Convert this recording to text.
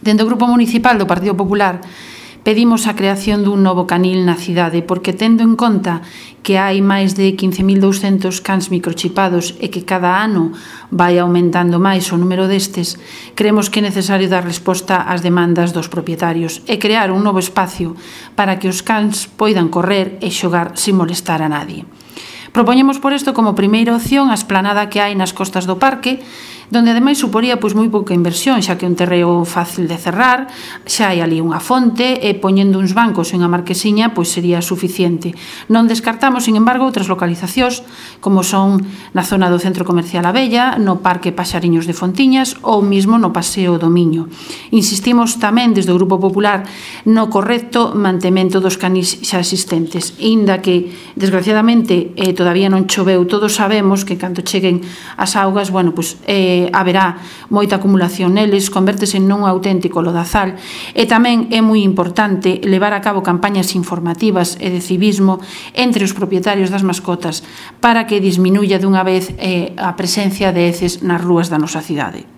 Dende o Grupo Municipal do Partido Popular pedimos a creación dun novo canil na cidade porque, tendo en conta que hai máis de 15.200 cans microchipados e que cada ano vai aumentando máis o número destes, creemos que é necesario dar resposta ás demandas dos propietarios e crear un novo espacio para que os cans poidan correr e xogar sin molestar a nadie. Propoñemos por isto como primeira opción a esplanada que hai nas costas do parque, donde ademais suporía moi pouca inversión, xa que é un terreo fácil de cerrar, xa hai ali unha fonte e poñendo uns bancos e unha marquesiña sería suficiente. Non descartamos, sin embargo, outras localizacións como son na zona do Centro Comercial Abella, no Parque Paxariños de Fontiñas ou mesmo no Paseo do Miño. Insistimos tamén desde o Grupo Popular no correcto mantemento dos canis xa existentes, inda que desgraciadamente todavía non choveu. Todos sabemos que cando cheguen as augas, haberá moita acumulación neles, convértese nun auténtico lodazal, e tamén é moi importante levar a cabo campañas informativas e de civismo entre os propietarios das mascotas para que disminuya dunha vez a presencia de heces nas rúas da nosa cidade.